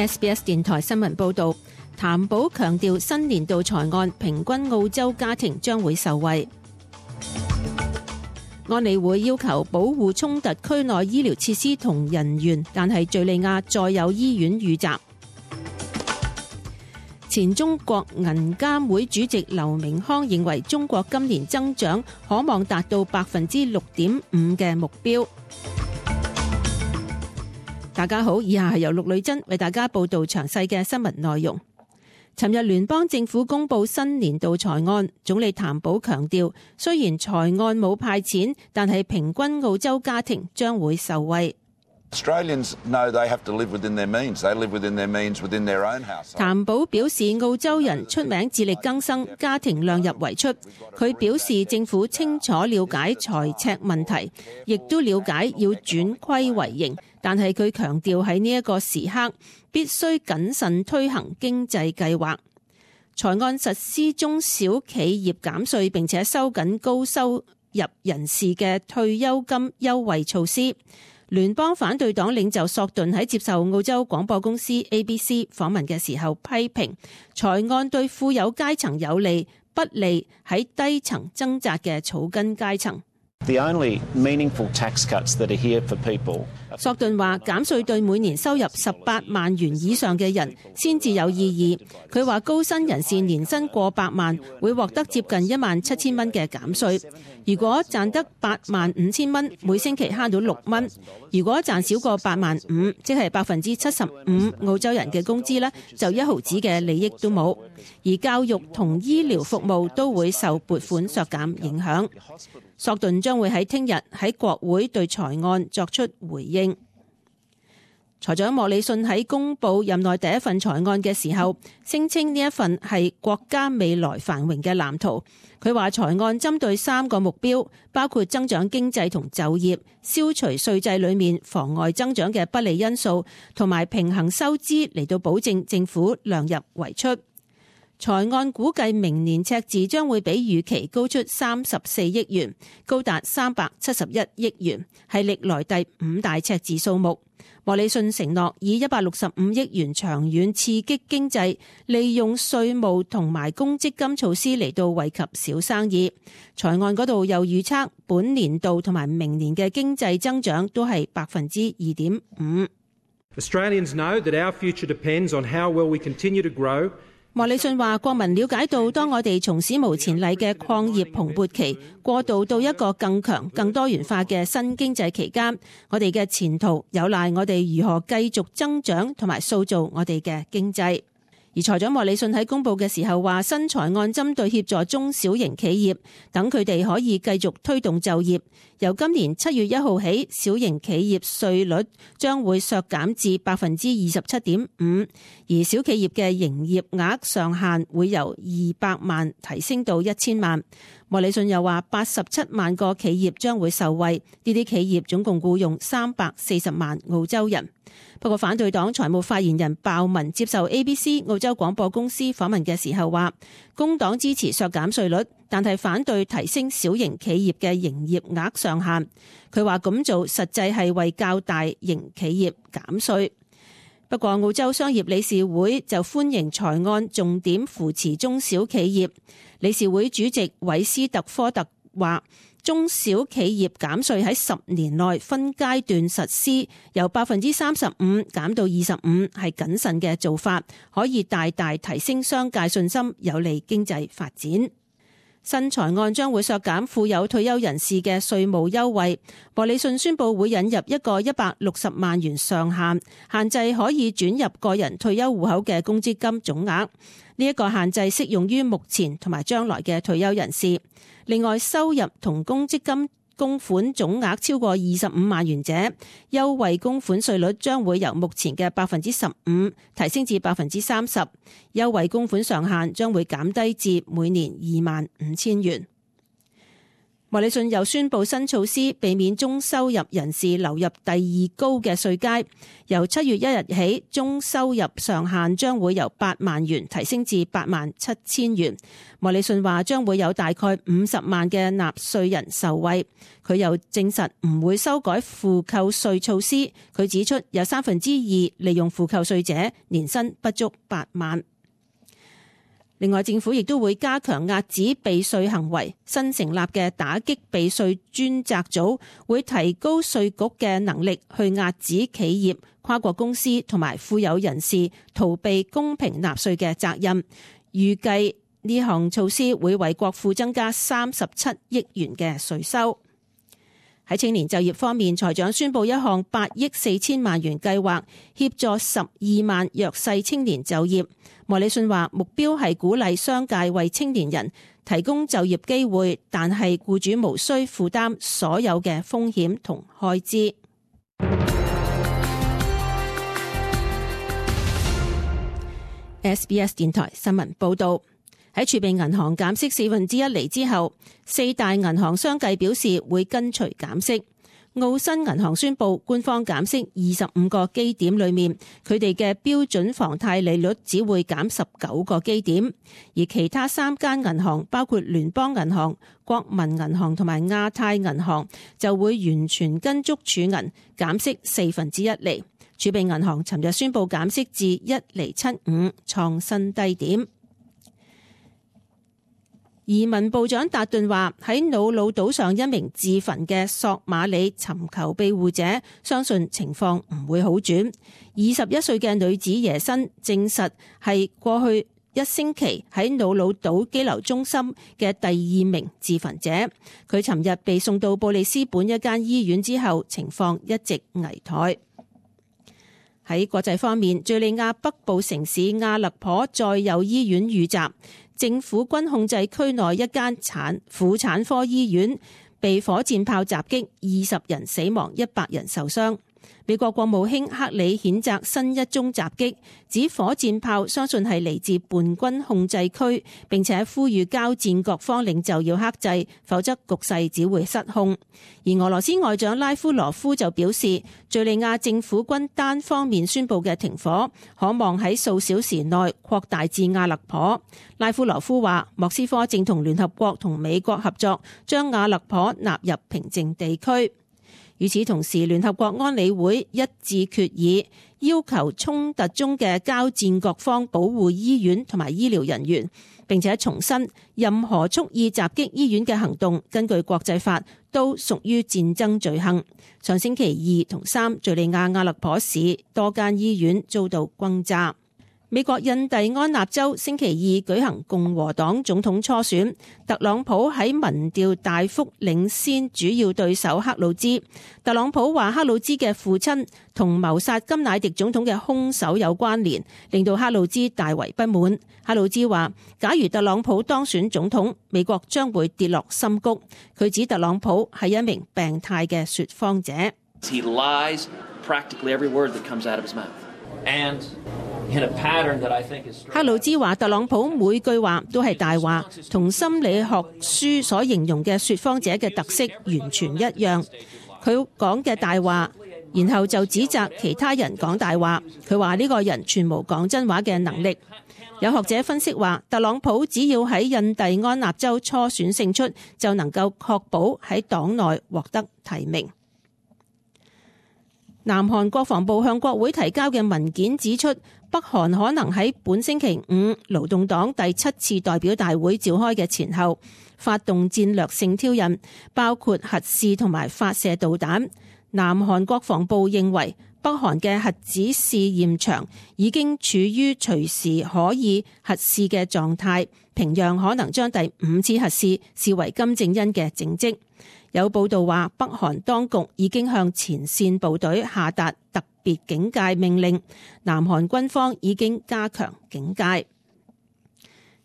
SBS 電台新聞報導，譚寶強調新年度財案平均澳洲家庭將會受惠。安理會要求保護衝突區內醫療設施同人員，但係敘利亞再有醫院遇襲。前中國銀監會主席劉明康認為中國今年增長可望達到6.5%嘅目標。大家好，以下係由陸女真為大家報道詳細嘅新聞內容。尋日聯邦政府公布新年度財案，總理譚寶強調，雖然財案冇派錢，但係平均澳洲家庭將會受惠。Australians know they have to live within their means. They live within their means within their own household. 譚寶表示，澳洲人出名自力更生，家庭量入為出。佢表示，政府清楚了解財赤問題，亦都了解要轉虧為盈，但係佢強調喺呢一個時刻必須謹慎推行經濟計劃。財案實施中小企業減稅，並且收緊高收入人士嘅退休金優惠措施。聯邦反對黨領袖索頓喺接受澳洲廣播公司 ABC 訪問嘅時候批評財案對富有階層有利，不利喺低層掙扎嘅草根階層。The only meaningful tax cuts that are here for people. 索頓話減稅對每年收入18萬元以上嘅人先至有意義。佢話高薪人士年薪過百萬會獲得接近17000蚊嘅減稅。如果賺得85000蚊，每星期慳到6蚊。如果賺少過85000，即係75%澳洲人嘅工資呢，就1毫子嘅利益都冇。而教育同醫療服務都會受撥款削減影響。索頓將會喺聽日喺國會對財案作出回應。財長莫里遜喺公布任內第一份財案嘅時候，聲稱呢一份係國家未來繁榮嘅藍圖。佢話財案針對3個目標，包括增長經濟同就業、消除稅制裏面妨礙增長嘅不利因素，同埋平衡收支嚟到保證政府量入為出。財案估計明年赤字將會比預期高出34億元，高達371億元，係歷來第5大赤字數目。莫里遜承諾以165億元長遠刺激經濟，利用稅務同埋公積金措施嚟到惠及小生意。財案嗰度又預測本年度同埋明年嘅經濟增長都係2.5%。Australians know that our future depends on how well we continue to grow. 莫里遜話：國民了解到，當我哋從史無前例嘅礦業蓬勃期過渡到一個更強、更多元化嘅新經濟期間，我哋嘅前途有賴我哋如何繼續增長同埋塑造我哋嘅經濟。而財長莫里遜喺公佈嘅時候話，新財案針對協助中小型企業，等佢哋可以繼續推動就業。由今年7月1號起，小型企業稅率將會削減至27.5%，而小企業嘅營業額上限會由200萬提升到1000萬。莫里遜又話87萬個企業將會受惠，呢啲企業總共僱用340萬澳洲人。不過反對黨財務發言人鮑文接受 ABC 澳洲廣播公司訪問嘅時候話，工黨支持削減稅率，但係反對提升小型企業嘅營業額上限。佢話咁做實際係為較大型企業減稅。不過澳洲商業理事會就歡迎財案重點扶持中小企業。理事會主席韋斯特科特話，中小企業減稅喺10年內分階段實施，由35%減到25%，係謹慎嘅做法，可以大大提升商界信心，有利經濟發展。新財案將會削減富有退休人士嘅稅務優惠。莫里遜宣布會引入一個160萬元上限，限制可以轉入個人退休戶口嘅公積金總額。呢一個限制適用於目前同埋將來嘅退休人士。另外，收入同公積金供款總額超過25萬元者，優惠供款稅率將會由目前嘅15%提升至30%，優惠供款上限將會減低至每年25000元。莫里遜又宣布新措施，避免中收入人士流入第二高嘅稅階。由7月1日起，中收入上限將會由8萬元提升至87000元。莫里遜話將會有大概50萬嘅納稅人受惠。佢又證實唔會修改負扣稅措施。佢指出有2/3利用負扣稅者年薪不足8萬。另外，政府亦都會加強遏止避稅行為。新成立嘅打擊避稅專責組會提高稅局嘅能力，去遏止企業、跨國公司同埋富有人士逃避公平納稅嘅責任。預計呢項措施會為國庫增加37億元嘅稅收。喺青年就業方面，財長宣布一項8億4千萬元計劃，協助12萬弱勢青年就業。莫里遜話目標係鼓勵商界為青年人提供就業機會，但係僱主無需負擔所有嘅風險同開支。SBS 電台新聞報道。喺儲備銀行減息1/4厘之後，4大銀行相繼表示會跟隨減息。澳新銀行宣布，官方減息25個基點裏面，佢哋嘅標準房貸利率只會減19個基點，而其他3間銀行，包括聯邦銀行、國民銀行同埋亞太銀行，就會完全跟足儲銀減息1/4厘。儲備銀行尋日宣布減息至1.75厘，創新低點。移民部長達頓話：喺瑙魯島上一名自焚嘅索馬里尋求庇護者，相信情況唔會好轉。21歲嘅女子耶辛證實係過去1星期喺瑙魯島羈留中心嘅第2名自焚者。佢尋日被送到布里斯本一間醫院之後，情況一直危殆。喺國際方面，敘利亞北部城市阿勒頗再有醫院遇襲。政府軍控制區內一間婦產科醫院被火箭炮襲擊，20人死亡，100人受傷。美國國務卿克里譴責新一宗襲擊，指火箭炮相信係嚟自叛軍控制區，並且呼籲交戰各方領袖要克制，否則局勢只會失控。而俄羅斯外長拉夫羅夫就表示，敘利亞政府軍單方面宣布嘅停火，可望喺數小時內擴大至阿勒頗。拉夫羅夫話，莫斯科正同聯合國同美國合作，將阿勒頗納入平靜地區。與此同時，聯合國安理會一致決議，要求衝突中嘅交戰各方保護醫院同埋醫療人員，並且重申任何蓄意襲擊醫院嘅行動，根據國際法都屬於戰爭罪行。上星期2同3，敘利亞阿勒頗市多間醫院遭到轟炸。美國印第安納州星期2舉行共和黨總統初選，特朗普喺民調大幅領先主要對手克魯茲。特朗普話克魯茲嘅父親同謀殺甘乃迪總統嘅兇手有關聯，令到克魯茲大為不滿。克魯茲話，假如特朗普當選總統，美國將會跌落深谷。佢指特朗普係一名病態嘅說謊者。He lies practically every word that comes out of his mouth. And克魯茲話，特朗普每句話都係大話，同心理學書所形容嘅說謊者嘅特色完全一樣。佢講嘅大話，然後就指責其他人講大話。佢話呢個人全無講真話嘅能力。有學者分析話，特朗普只要喺印第安納州初選勝出，就能夠確保喺黨內獲得提名。南韓國防部向國會提交嘅文件指出，北韓可能喺本星期5勞動黨第7次代表大會召開嘅前後發動戰略性挑釁，包括核試同埋發射導彈。南韓國防部認為，北韓嘅核子試驗場已經處於隨時可以核試嘅狀態，平壤可能將第5次核試視為金正恩嘅政績。有報道話，北韓當局已經向前線部隊下達特別警戒命令，南韓軍方已經加強警戒。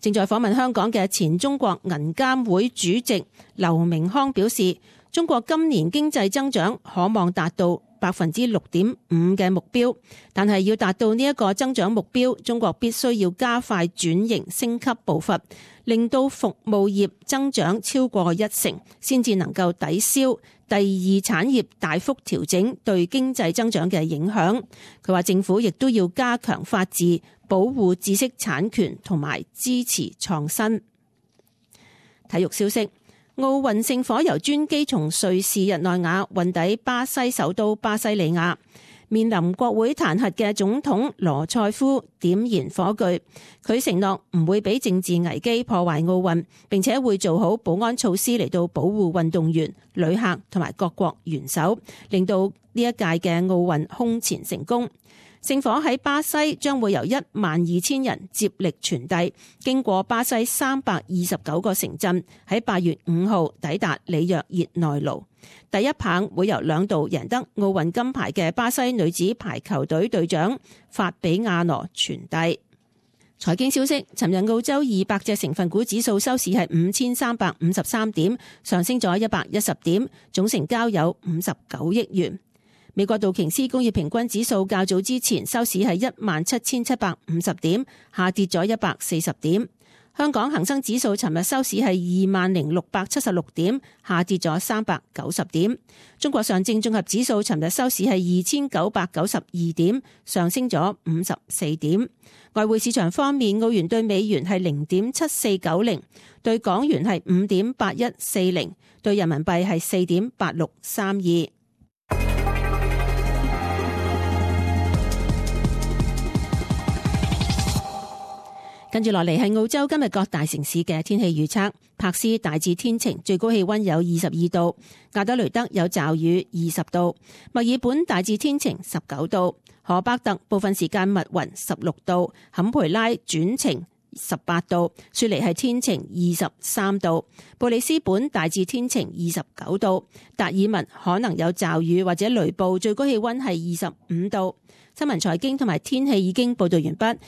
正在訪問香港嘅前中國銀監會主席劉明康表示，中國今年經濟增長可望達到6.5% 嘅目標，但係要達到呢一個增長目標，中國必須要加快轉型升級步伐，令到服務業增長超過1成，先至能夠抵消第二產業大幅調整對經濟增長嘅影響。佢話政府亦都要加強法治，保護知識產權同埋支持創新。體育消息，奧運聖火由專機從瑞士日內瓦運抵巴西首都巴西利亞，面臨國會彈劾嘅總統羅塞夫點燃火炬，佢承諾唔會俾政治危機破壞奧運，並且會做好保安措施嚟到保護運動員、旅客同埋各國元首，令到呢一屆嘅奧運空前成功。聖火喺巴西將會由12000人接力傳遞，經過巴西329個城鎮，喺8月5號抵達里約熱內盧。第一棒會由2度贏得奧運金牌嘅巴西女子排球隊隊長法比亞諾傳遞。財經消息，尋日澳洲200隻成分股指數收市係5353點，上升咗110點，總成交有59億元。美國道瓊斯工業平均指數較早之前收市係17750點，下跌咗140點。香港恒生指數尋日收市係20676點，下跌咗390點。中國上證綜合指數尋日收市係2992點，上升咗54點。外匯市場方面，澳元對美元係0.7490，對港元係5.8140，對人民幣係4.8632。跟住落嚟係澳洲今日各大城市嘅天氣預測。柏斯大致天晴，最高氣溫有22度；亞德雷德有驟雨20度；墨爾本大致天晴19度；荷伯特部分時間密雲16度；坎培拉轉晴18度；雪梨係天晴23度；布里斯本大致天晴29度；達爾文可能有驟雨或者雷暴，最高氣溫係25度。新聞財經同埋天氣已經報道完畢。